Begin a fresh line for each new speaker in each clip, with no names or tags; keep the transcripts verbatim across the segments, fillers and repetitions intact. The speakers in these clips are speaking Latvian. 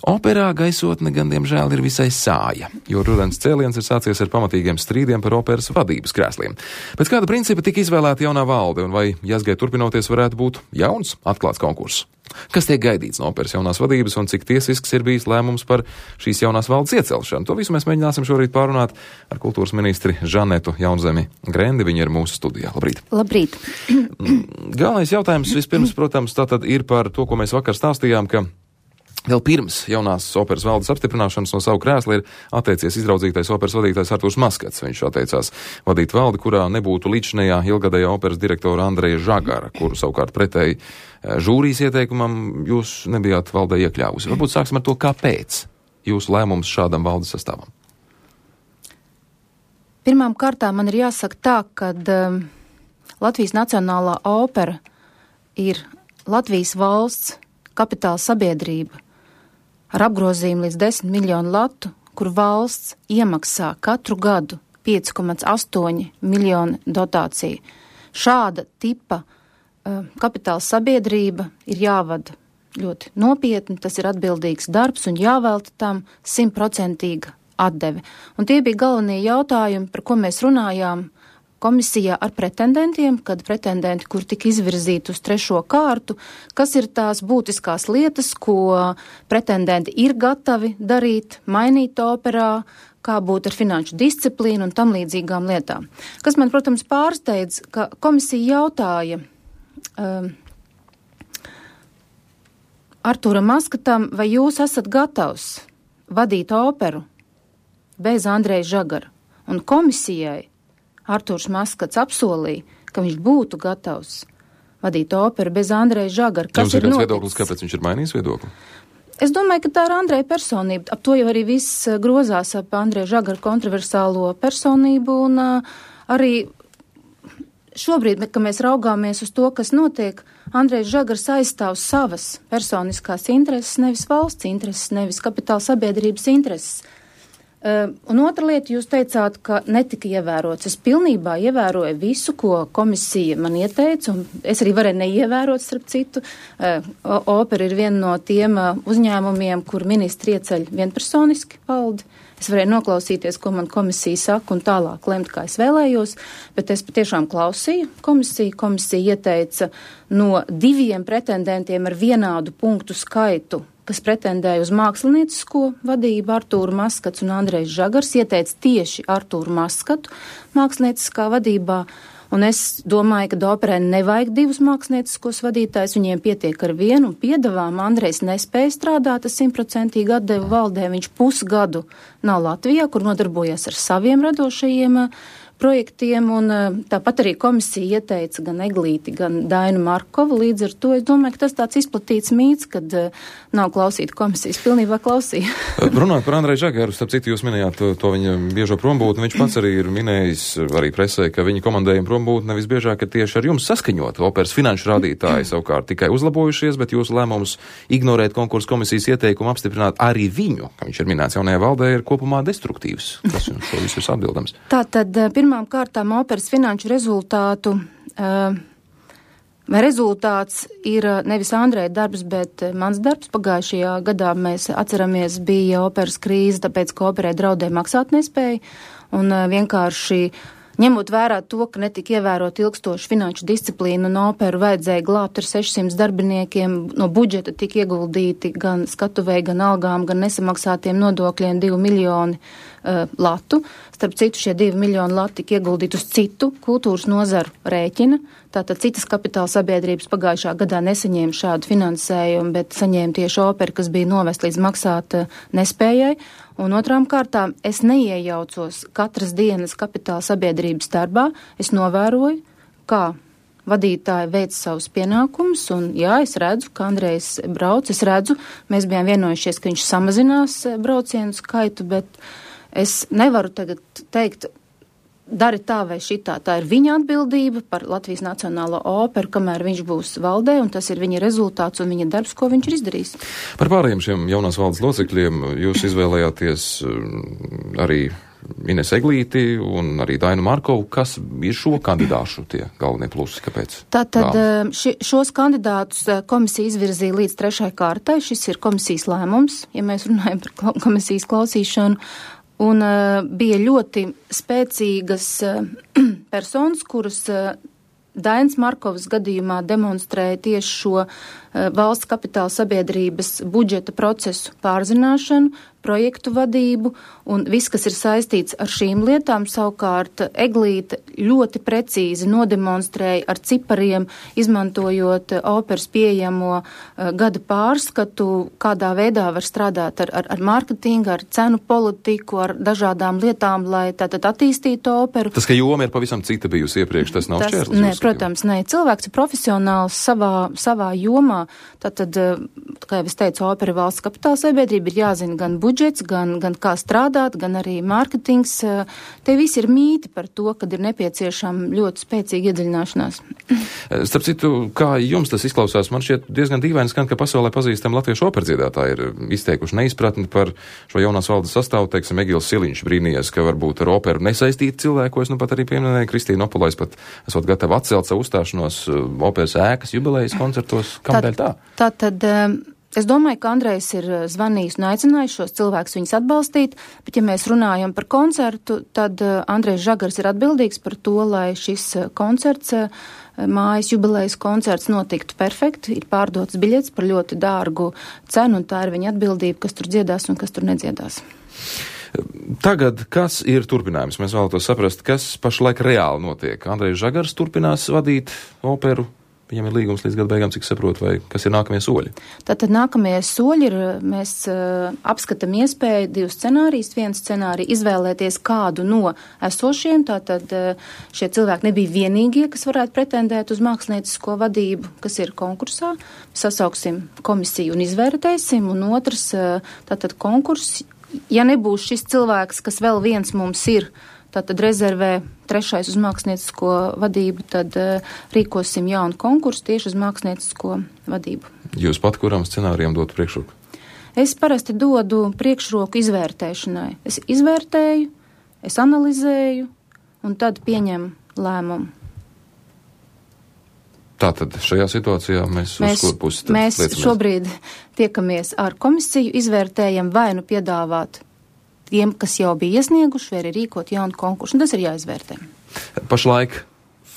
Operā gaisotne gan, diemžēl, ir visai sāja, jo rudens cēliens ir sācies ar pamatīgiem strīdiem par operas vadības krēsliem. Pēc kāda principa tika izvēlēta jaunā valde, un vai Jāzgai turpinoties varētu būt jauns atklāts konkurss? Kas tiek gaidīts no operas jaunās vadības un cik tiesisks ir bijis lēmums par šīs jaunās valdes iecelšanu? To visu mēs mēģināsim šorīt pārunāt ar kultūras ministri Žanetu Jaunzemi Grendi. Viņa ir mūsu studijā. Labrīt!
Labrīt!
Galvenais jautājums vispirms, protams, tātad ir par to, ko mēs vakar stāstījām, ka vēl pirms jaunās operas valdes apstiprināšanas no savu krēslu ir atteicies izraudzītais operas vadītājs Artūrs Maskats. Viņš atteicās vadīt valdi, kurā nebūtu līdzinējā ilgadējā operas direktora Andreja Žagara, kuru savukārt pretēji žūrijas ieteikumam jūs nebijāt valdē iekļāvusi. Varbūt sāksim ar to, kāpēc jūsu lēmums šādam valdes sastāvam?
Pirmām kārtām man ir jāsaka tā, ka um, Latvijas Nacionālā opera ir Latvijas valsts kapitāla sabiedrība ar apgrozījumu līdz desmit miljonu latu, kur valsts iemaksā katru gadu pieci komats astoņi miljoni dotāciju. Šāda tipa uh, kapitāla sabiedrība ir jāvada ļoti nopietni, tas ir atbildīgs darbs un jāvelta tam simtprocentīga atdeve. Un tie bija galvenie jautājumi, par ko mēs runājām komisijā ar pretendentiem, kad pretendenti, kur tika izvirzīti uz trešo kārtu, kas ir tās būtiskās lietas, ko pretendenti ir gatavi darīt, mainīt operā, kā būt ar finanšu disciplīnu un tam līdzīgām lietām. Kas man, protams, pārsteidz, ka komisija jautāja um, Artūram Maskatam, vai jūs esat gatavs vadīt operu bez Andreja Žagara? Un komisijai Artūrs Maskats apsolīja, ka viņš būtu gatavs vadīt operu bez Andreja Žagara. Kas
Jums ir
ir
kāds viedoklis, kāpēc viņš ir mainījis viedokli?
Es domāju, ka tā ir Andreja personība. Ap to jau arī viss grozās ap Andreja Žagara kontroversālo personību, un uh, arī šobrīd, kad mēs raugāmies uz to, kas notiek, Andrejs Žagars aizstāv savas personiskās intereses, nevis valsts intereses, nevis kapitāla sabiedrības intereses. Uh, un otra lieta, jūs teicāt, ka netika ievērots. Es pilnībā ievēroju visu, ko komisija man ieteica, un es arī varēju neievērot, starp citu. Uh, opera ir viena no tiem uh, uzņēmumiem, kur ministri ieceļ vienpersoniski valdi. Es varēju noklausīties, ko man komisija saka, un tālāk lemt, kā es vēlējos, bet es patiešām klausīju komisiju. Komisija ieteica no diviem pretendentiem ar vienādu punktu skaitu, kas pretendēja uz māksliniecisko vadību, Artūru Maskats un Andrejs Žagars, ieteica tieši Artūru Maskatu mākslinieciskā vadībā, un es domāju, ka operai nevajag divus mākslinieciskos vadītājus, viņiem pietiek ar vienu, un piedavām Andrejs nespēja strādāt ar simtprocentīgi atdevu valdē, viņš pusgadu nav Latvijā, kur nodarbojas ar saviem radošajiem projektiem, un tāpat arī komisija ieteica gan Eglīti, gan Dainu Markovu. Līdz ar to es domāju, ka tas tāds izplatīts mīts, kad nav klausīta komisijas, pilnībā klausīja.
Runāt par Andreju Žagaru, starp citu jūs minējāt to, to viņa biežo prombūtni, viņš pats arī ir minējis arī presē, ka viņa komandējuma prombūtne visbiežāk ir tieši ar jums saskaņot. Operas finanšu rādītāji savukārt tikai uzlabojušies, bet jūsu lēmums ignorēt konkursu komisijas ieteikumu apstiprināt arī viņu, ka viņš ir minēts jaunajā valdē, ir kopumā destruktīvs. Tas šo visu ir atbildams.
Tātad, pirmām kārtām operas finanšu rezultātu, vai rezultāts ir nevis Andreja darbs, bet mans darbs. Pagājušajā gadā mēs atceramies bija operas krīze, tāpēc, ka operai draudēja maksātnespēja, un vienkārši ņemot vērā to, ka netika ievērot ilgstošu finanšu disciplīnu un operu vajadzēja glābt ar sešsimt darbiniekiem, no budžeta tika ieguldīti gan skatuvēji, gan algām, gan nesamaksātiem nodokļiem divi miljoni uh, latu. Starp citu, šie divi miljoni lati tika ieguldīti uz citu kultūras nozaru rēķina. Tātad citas kapitāla sabiedrības pagājušā gadā nesaņēma šādu finansējumu, bet saņēma tieši operu, kas bija novest līdz maksāt uh, nespējai. Un otrām kārtām es neiejaucos katras dienas kapitāla sabiedrības darbā. Es novēroju, kā vadītāji veic savus pienākumus, un jā, es redzu, ka Andrejs brauc, es redzu, mēs bijām vienojušies, ka viņš samazinās braucienu skaitu, bet es nevaru tagad teikt, dari tā vai šitā. Tā ir viņa atbildība par Latvijas Nacionālo operu, kamēr viņš būs valdē, un tas ir viņa rezultāts un viņa darbs, ko viņš ir izdarījis.
Par pārējiem šiem jaunās valdes locekļiem jūs izvēlējāties arī Ines Eglīti un arī Dainu Markovu. Kas ir šo kandidāšu tie galvenie plusi? Kāpēc?
Tātad ši, šos kandidātus komisija izvirzīja līdz trešai kārtai. Šis ir komisijas lēmums, ja mēs runājam par komisijas klausīšanu. Un uh, bija ļoti spēcīgas uh, personas, kuras uh, Dainas Markovas gadījumā demonstrēja tieši šo uh, valsts kapitāla sabiedrības budžeta procesu pārzināšanu, projektu vadību un viss, kas ir saistīts ar šīm lietām. Savukārt Eglīte ļoti precīzi nodemonstrēja ar cipariem, izmantojot operas pieejamo uh, gada pārskatu, kādā veidā var strādāt ar, ar, ar mārketingu, ar cenu politiku, ar dažādām lietām, lai tātad attīstītu operu.
Tas, ka joma ir pavisam cita bijusi iepriekš, tas nav šķērslis?
Nē, protams, nē. Cilvēks ir profesionāls savā, savā jomā. Tātad, kā jau es teicu, opera valsts kapitāla sabiedrība ir jāzina gan budžets, gan, gan kā strādāt, gan arī mārketings. Te viss ir mīti par to, kad ir nepieciešama ļoti spēcīga iedziļināšanās.
Starp citu, kā jums tas izklausās, man šķiet diezgan dīvaini skan, ka pasaulē pazīstam latviešu operdziedātāji ir izteikuši neizpratni par šo jaunās valdes sastāvu. Teiksim, Egils Siliņš brīnījies, ka varbūt ar operu nesaistīti cilvēki, ko es nu pat arī pieminēju. Kristīna Opolais pat esot gatava atcelt savu uzstāšanos operas ēkas jubilejas koncertos. Kādēļ tā?
Tā tad, es domāju, ka Andrejs ir zvanījis un aicinājis šos cilvēkus viņus atbalstīt, bet ja mēs runājam par koncertu, tad Andrejs Žagars ir atbildīgs par to, lai šis koncerts, mājas jubilejas koncerts notiktu perfekti, ir pārdots biļets par ļoti dārgu cenu, un tā ir viņa atbildība, kas tur dziedās un kas tur nedziedās.
Tagad, kas ir turpinājums? Mēs vēlētos saprast, kas pašlaik reāli notiek. Andrejs Žagars turpinās vadīt operu. Viņam ir līgums līdz gada beigām, cik saprotu, vai kas ir nākamie soļi?
Tātad nākamie soļi ir, mēs uh, apskatām iespēju divus scenārijus. Viens scenāriju izvēlēties kādu no esošiem, tātad uh, šie cilvēki nebija vienīgie, kas varētu pretendēt uz māksliniecisko vadību, kas ir konkursā. Sasauksim komisiju un izvērtēsim, un otrs, uh, tātad konkurss, ja nebūs šis cilvēks, kas vēl viens mums ir, tātad rezervē trešais uz māksliniecisko vadību, tad uh, rīkosim jaunu konkursu tieši uz māksliniecisko vadību.
Jūs pat kuram scenārijam dotu priekšroku?
Es parasti dodu priekšroku izvērtēšanai. Es izvērtēju, es analizēju un tad pieņemu lēmumu.
Tātad šajā situācijā mēs, mēs uz kur pusi tad
mēs
liecamies?
Šobrīd tiekamies ar komisiju, izvērtējam vai nu piedāvāt tiem, kas jau bija iesnieguši, vai arī rīkot jaunu konkursu. Un tas ir jāizvērtē.
Pašlaik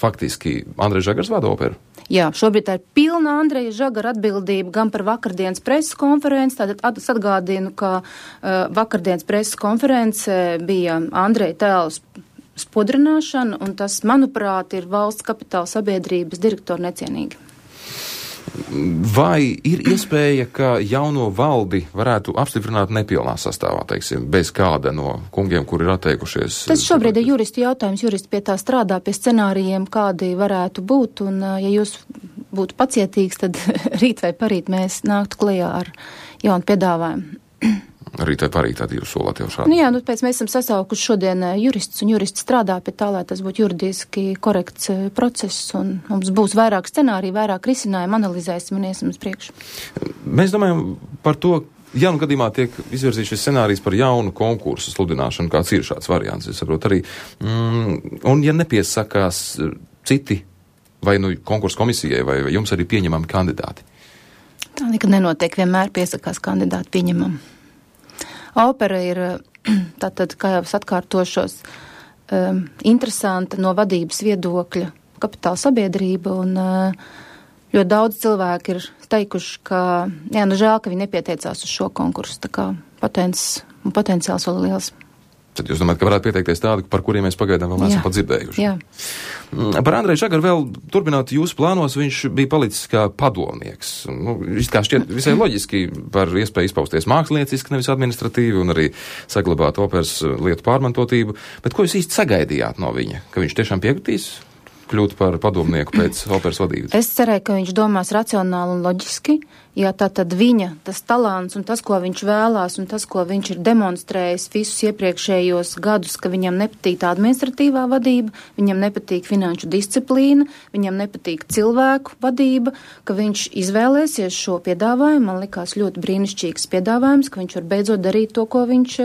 faktiski Andrejs Žagars vada operu?
Jā, šobrīd tā ir pilna Andreja Žagara atbildība gan par vakardienas preses konferenci. Tātad atgādinu, ka uh, vakardienas preses konference bija Andreja tēls spodrināšana, un tas, manuprāt, ir valsts kapitāla sabiedrības direktora necienīgi.
Vai ir iespēja, ka jauno valdi varētu apstiprināt nepilnā sastāvā, teiksim, bez kāda no kungiem, kuri ir atteikušies?
Tas šobrīd ir juristu jautājums. Juristi pie tā strādā, pie scenārijiem, kādi varētu būt, un ja jūs būtu pacietīgs, tad rīt vai parīt mēs nāktu klajā ar jaunu piedāvājumu.
Rīt vai parīt, tad jūs solāt jau šādi?
Nu jā, nu pēc mēs esam sasaukuši šodien juristus, un juristi strādā pie tā, lai tas būtu juridiski korekts process, un mums būs vairāk scenāriju, vairāk risinājumu, analizēsim un iesim uz priekšu.
Mēs domājam par to, ja nu gadījumā tiek izvirzīts šis scenārijs par jaunu konkursu sludināšanu, kāds ir šāds variants, es saprotu arī, mm, un ja nepiesakās citi, vai nu konkursu komisijai, vai, vai jums arī pieņemami kandidāti?
Tā nekad nenotiek, vienmēr piesakās kandidāti pieņemam. Opera ir, tātad, kā jau es atkārtošos, um, interesanta no vadības viedokļa kapitāla sabiedrība, un uh, ļoti daudz cilvēku ir teikuši, ka, jā, nu žēl, ka viņi nepieteicās uz šo konkursu, tā kā potens, potenciāls vēl liels.
Tad jūs domājat, ka varētu pieteikties tādi, par kuriem mēs pagaidām vēl neesam pat dzirdējuši?
Jā.
Par Andreju Žagaru vēl turpināt jūsu plānos, viņš bija palicis kā padomnieks. Nu, kā šķiet visai loģiski par iespēju izpausties mākslinieciski, nevis administratīvi, un arī saglabāt operas lietu pārmantotību. Bet ko jūs īsti sagaidījāt no viņa? Ka viņš tiešām piekritīs kļūt par padomnieku pēc operas vadības?
Es cerēju, ka viņš domās racionāli un loģiski, Ja tā tad viņa, tas talants un tas, ko viņš vēlās un tas, ko viņš ir demonstrējis visus iepriekšējos gadus, ka viņam nepatīk tā administratīvā vadība, viņam nepatīk finanšu disciplīna, viņam nepatīk cilvēku vadība, ka viņš izvēlēsies šo piedāvājumu. Man likās ļoti brīnišķīgs piedāvājums, ka viņš var beidzot darīt to, ko viņš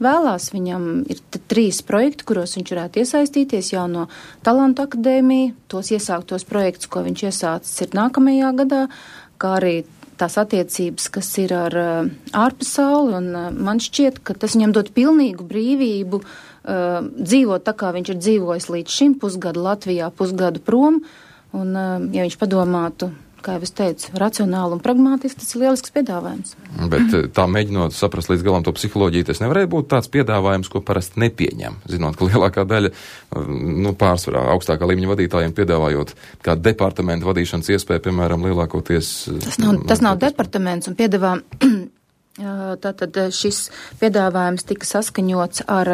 vēlās. Viņam ir trīs projekti, kuros viņš varētu iesaistīties, jauno talantu akadēmiju, tos iesāktos projektus, ko viņš iesācis ir nākamajā gadā, kā arī tās attiecības, kas ir ar uh, ārpasauli, un uh, man šķiet, ka tas viņam dod pilnīgu brīvību uh, dzīvot tā, kā viņš ir dzīvojis līdz šim pusgadu Latvijā, pusgadu prom, un uh, ja viņš padomātu, kā jau es teicu, racionāli un pragmātiski, tas ir lielisks piedāvājums.
Bet tā mēģinot saprast līdz galam to psiholoģiju, tas nevarēja būt tāds piedāvājums, ko parasti nepieņem. Zinot, ka lielākā daļa, nu, pārsvarā augstākā līmeņa vadītājiem piedāvājot kā departamentu vadīšanas iespēju, piemēram, lielākoties.
Tas nav, tas nav departaments un piedāvā. Tātad šis piedāvājums tika saskaņots ar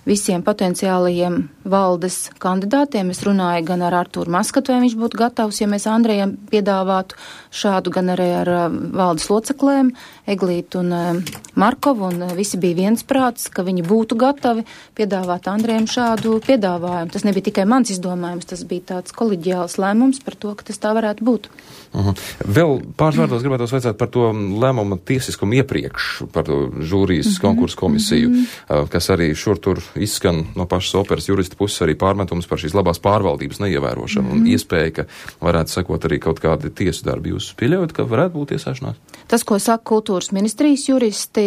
visiem potenciālajiem valdes kandidātiem. Es runāju gan ar Artūru Maskatu, vai viņš būtu gatavs, ja mēs Andrejam piedāvātu šādu, gan arī ar valdes loceklēm, Eglītu un Markovu, un visi bija viensprāts, ka viņi būtu gatavi piedāvāt Andrejam šādu piedāvājumu. Tas nebija tikai mans izdomājums, tas bija tāds koleģiāls lēmums par to, ka tas tā varētu būt.
Uh-huh. Vēl pāris vārdos gribētu vaicāt par to lēmumu tiesiskumu iepriekš, par to žūrijas uh-huh. konkursu komisiju, uh-huh. kas arī šur tur izskan no pašas operas jurista puses arī pārmetums par šīs labās pārvaldības neievērošanu uh-huh. un iespēja, ka varētu sekot arī kaut kādi tiesu darbi. Jūs pieļaujat, ka varētu būt tiesāšanās?
Tas, ko saka kultūras ministrijas juristi,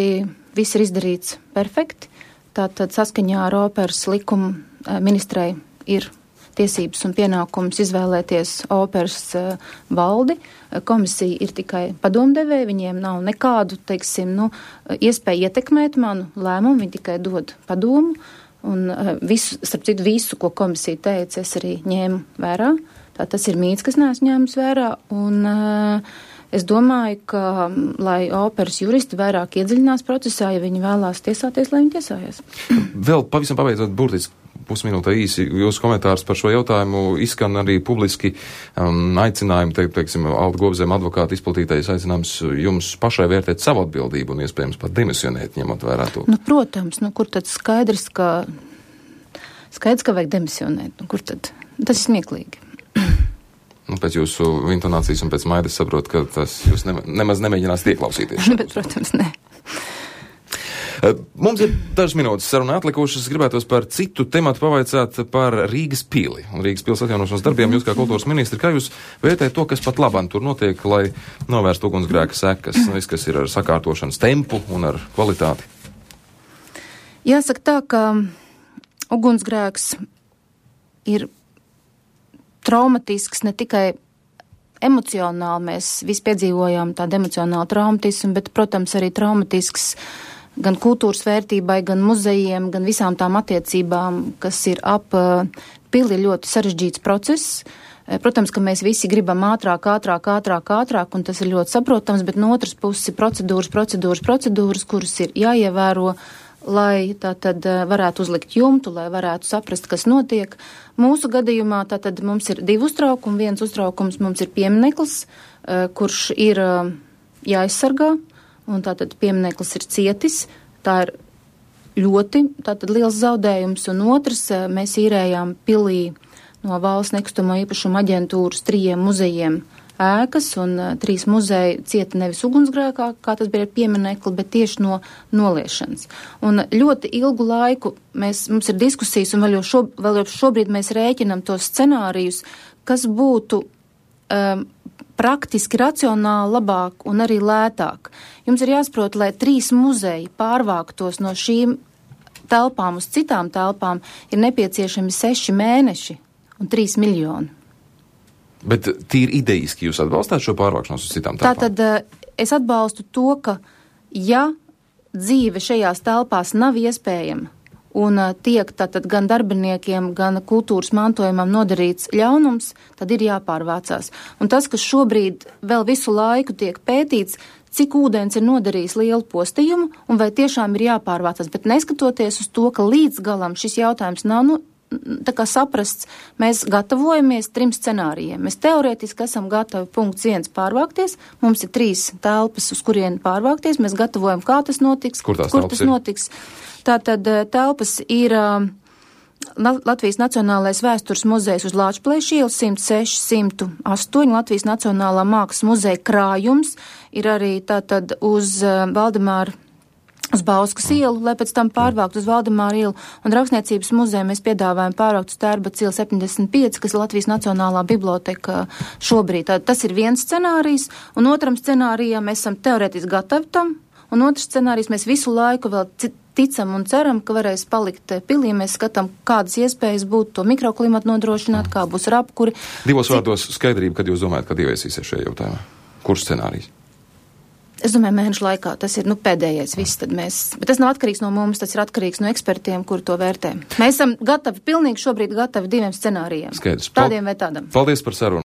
viss ir izdarīts perfekti. Tātad saskaņā ar operas likumu ministrei ir tiesības un pienākums izvēlēties operas uh, valdi. Komisija ir tikai padomdevēja, viņiem nav nekādu, teiksim, nu, iespēju ietekmēt manu lēmumu, viņi tikai dod padomu. Un uh, visu, starp citu, visu, ko komisija teica, es arī ņēmu vērā. Tā tas ir mīts, kas neesmu ņēmis vērā. Un uh, es domāju, ka, lai operas juristi vairāk iedziļinās procesā, ja viņi vēlās tiesāties, lai viņi tiesājas.
Vēl pavisam pabeidzot burtiski pusminūtē īsi jūsu komentārs par šo jautājumu izskan arī publiski um, aicinājumi, te, teiksim, Alda Gobzema advokāta izplatītais aicinājums jums pašai vērtēt savu atbildību un iespējams pat demisionēt, ņemot vērā to.
Nu, protams, nu, kur tad skaidrs, ka skaidrs, ka vajag demisionēt, nu, kur tad? Tas ir smieklīgi.
Nu, pēc jūsu intonācijas un pēc maidas saprot, ka tas jūs ne, nemaz nemēģinās ieklausīties.
Bet, protams, ne.
Mums ir dažas minūtes sarunā atlikušas. Gribētos par citu tematu pavaicāt par Rīgas pili un Rīgas pils atjaunošanas darbiem. Jūs kā kultūras ministri, kā jūs vērtējat to, kas pat labāk tur notiek, lai novērstu ugunsgrēka sekas, viss, kas ir ar sakārtošanas tempu un ar kvalitāti?
Jāsaka tā, ka ugunsgrēks ir traumatisks ne tikai emocionāli, mēs visi piedzīvojām tādu emocionālu traumatismu, bet, protams, arī traumatisks gan kultūras vērtībai, gan muzejiem, gan visām tām attiecībām, kas ir ap pili, ļoti sarežģīts process. Protams, ka mēs visi gribam ātrāk, ātrāk, ātrāk, ātrāk, un tas ir ļoti saprotams, bet no otras puses ir procedūras, procedūras, procedūras, kuras ir jāievēro, lai tā tad varētu uzlikt jumtu, lai varētu saprast, kas notiek. Mūsu gadījumā tā tad mums ir divi uztraukumi. Viens uztraukums mums ir piemineklis, kurš ir jāaizsargā, un tātad piemineklis ir cietis. Tā ir ļoti tātad liels zaudējums, un otrs, mēs īrējām pilī no valsts nekustamo īpašumu aģentūras trījiem muzejiem ēkas, un trīs muzeji cieta nevis ugunsgrēkā, kā tas bija ar pieminekli, bet tieši no noliešanas. Un ļoti ilgu laiku mēs, mums ir diskusijas, un vēl jau, šo, vēl jau šobrīd mēs rēķinam tos scenārijus, kas būtu um, praktiski, racionāli labāk un arī lētāk. Jums ir jāsaprot, lai trīs muzeji pārvāktos no šīm telpām uz citām telpām, ir nepieciešami seši mēneši un trīs miljoni.
Bet tīri idejiski jūs atbalstāt šo pārvākšanos uz citām telpām?
Tātad es atbalstu to, ka ja dzīve šajās telpās nav iespējama un tiek tātad gan darbiniekiem, gan kultūras mantojumam nodarīts ļaunums, tad ir jāpārvācās. Un tas, kas šobrīd vēl visu laiku tiek pētīts, cik ūdens ir nodarījis lielu postījumu un vai tiešām ir jāpārvācās, bet neskatoties uz to, ka līdz galam šis jautājums nav nu, tā kā saprasts, mēs gatavojamies trim scenārijiem. Mēs teorētiski esam gatavi punkts viens pārvākties, mums ir trīs telpas, uz kurien pārvākties, mēs gatavojam, kā tas notiks,
kur,
kur tas ir? notiks. Tātad telpas ir uh, Latvijas Nacionālais vēstures muzejs uz Lāčplēša ielas simt seši simt astoņi, Latvijas Nacionālā mākslas muzeja krājums ir arī tātad uz uh, Valdemāra uz Bauskas ielu, lai pēc tam pārvākt uz Valdemāra ielu, un Rakstniecības muzeja mēs piedāvājam pārvākt uz Tērbats ielu septiņdesmit pieci, kas ir Latvijas Nacionālā biblioteka šobrīd. Tā, tas ir viens scenārijs, un otram scenārijam mēs esam teorētiski gatavi tam, un otrs scenārijs mēs visu laiku vēl ticam un ceram, ka varēs palikt pilī. Mēs skatām, kādas iespējas būtu to mikroklimatu nodrošināt, kā būs ar apkuri.
Divos vārdos skaidrība, kad jūs domājat, kad ieviesīsies šajā jautājumā. Kurš scenārijs?
Es domāju, mēnešu laikā tas ir, nu, pēdējais viss, tad mēs, bet tas nav atkarīgs no mums, tas ir atkarīgs no ekspertiem, kur to vērtē. Mēs esam gatavi, pilnīgi šobrīd gatavi diviem scenārijiem.
Skaidrs.
Tādiem vai tādam.
Paldies par sarunu.